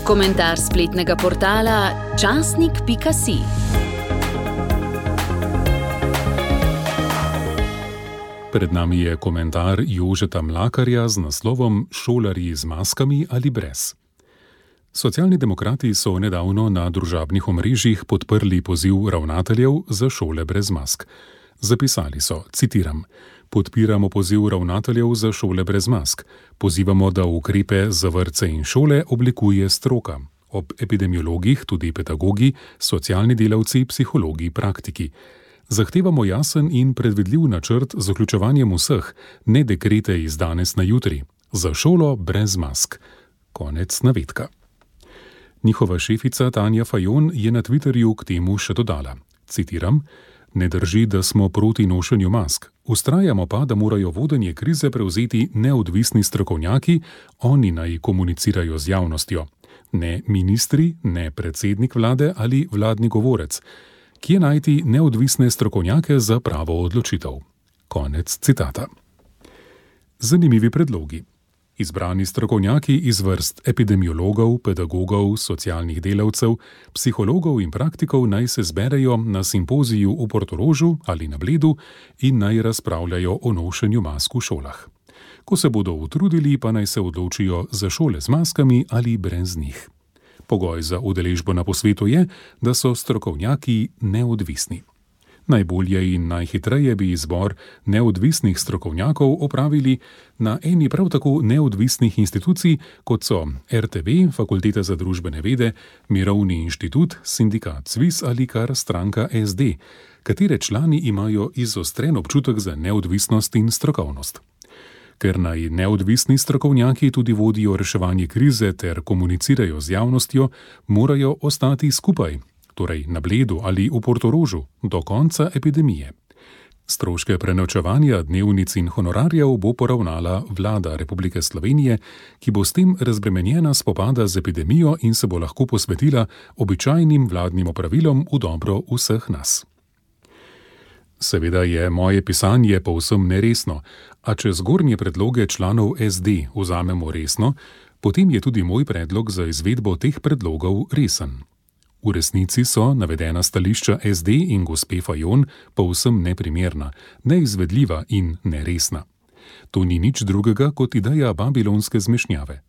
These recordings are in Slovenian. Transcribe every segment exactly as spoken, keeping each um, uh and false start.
Komentar spletnega portala časnik pika si. Pred nami je komentar Jožeta Mlakarja z naslovom Šolarji z maskami ali brez. Socialni demokrati so nedavno na družabnih omrežjih podprli poziv ravnateljev za šole brez mask. Zapisali so, citiram, podpiramo poziv ravnateljev za šole brez mask. Pozivamo, da ukrepe za vrtce in šole oblikuje stroka. Ob epidemiologih tudi pedagogi, socialni delavci, psihologi, praktiki. Zahtevamo jasen in predvidljiv načrt z vključevanjem vseh, ne dekrete iz danes na jutri. Za šolo brez mask. Konec navedka. Njihova šefica Tanja Fajon je na Twitterju k temu še dodala, citiram, ne drži, da smo proti nošenju mask. Vztrajamo pa, da morajo vodenje krize prevzeti neodvisni strokovnjaki, oni naj komunicirajo z javnostjo. Ne ministri, ne predsednik vlade ali vladni govorec. Kje najti neodvisne strokovnjake za pravo odločitev? Konec citata. Zanimivi predlogi. Izbrani strokovnjaki iz vrst epidemiologov, pedagogov, socialnih delavcev, psihologov in praktikov naj se zberejo na simpoziju v Portorožu ali na Bledu in naj razpravljajo o nošenju mask v šolah. Ko se bodo utrudili, pa naj se odločijo za šole z maskami ali brez njih. Pogoj za udeležbo na posvetu je, da so strokovnjaki neodvisni. Najbolje in najhitreje bi izbor neodvisnih strokovnjakov opravili na eni prav tako neodvisnih institucij, kot so er te ve, Fakulteta za družbene vede, Mirovni inštitut, sindikat Sviz ali kar stranka es de, katere člani imajo izostren občutek za neodvisnost in strokovnost. Ker naj neodvisni strokovnjaki tudi vodijo reševanje krize ter komunicirajo z javnostjo, morajo ostati skupaj, torej na Bledu ali v Portorožu, do konca epidemije. Stroške prenočevanja, dnevnic in honorarjev bo poravnala vlada Republike Slovenije, ki bo s tem razbremenjena spopada z epidemijo in se bo lahko posvetila običajnim vladnim opravilom v dobro vseh nas. Seveda je moje pisanje povsem neresno, a če zgornje predloge članov es de vzamemo resno, potem je tudi moj predlog za izvedbo teh predlogov resen. V resnici so navedena stališča es de in gospe Fajon povsem neprimerna, neizvedljiva in neresna. To ni nič drugega kot ideja babilonske zmešnjave.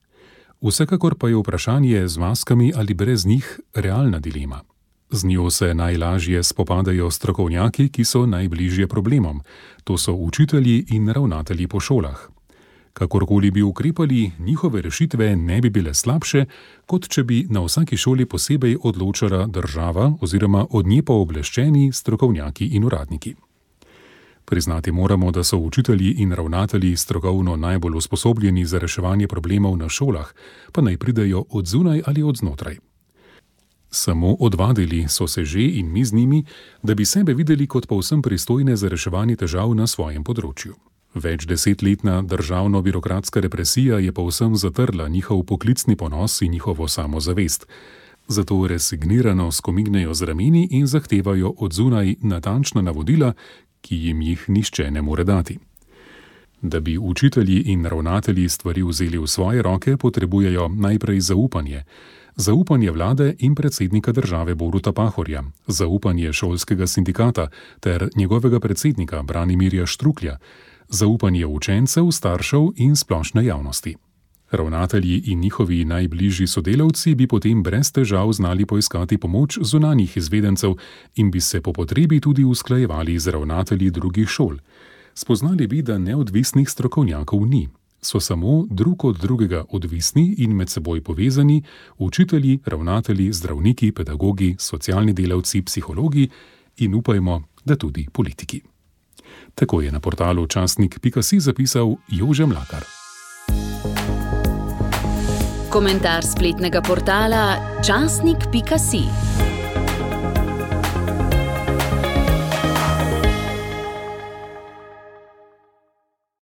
Vsekakor pa je vprašanje z maskami ali brez njih realna dilema. Z njo se najlažje spopadajo strokovnjaki, ki so najbližje problemom. To so učitelji in ravnatelji po šolah. Kakorkoli bi ukrepali, njihove rešitve ne bi bile slabše, kot če bi na vsaki šoli posebej odločala država oziroma od nje pooblaščeni strokovnjaki in uradniki. Priznati moramo, da so učitelji in ravnatelji strokovno najbolj usposobljeni za reševanje problemov na šolah, pa naj pridejo od zunaj ali od znotraj. Samo odvadili so se že in mi z njimi, da bi sebe videli kot povsem pristojne za reševanje težav na svojem področju. Več desetletna državno-birokratska represija je povsem zatrla njihov poklicni ponos in njihovo samozavest. Zato resignirano skomignejo z rameni in zahtevajo od zunaj natančna navodila, ki jim jih nihče ne more dati. Da bi učitelji in ravnatelji stvari vzeli v svoje roke, potrebujejo najprej zaupanje. Zaupanje vlade in predsednika države Boruta Pahorja, zaupanje šolskega sindikata ter njegovega predsednika Branimirja Štruklja, zaupanje učencev, staršev in splošne javnosti. Ravnatelji in njihovi najbližji sodelavci bi potem brez težav znali poiskati pomoč zunanjih izvedencev in bi se po potrebi tudi usklajevali z ravnatelji drugih šol. Spoznali bi, da neodvisnih strokovnjakov ni. So samo drug od drugega odvisni in med seboj povezani učitelji, ravnatelji, zdravniki, pedagogi, socialni delavci, psihologi in upajmo, da tudi politiki. Tako je na portalu časnik pika si zapisal Jože Mlakar. Komentar spletnega portala časnik pika si.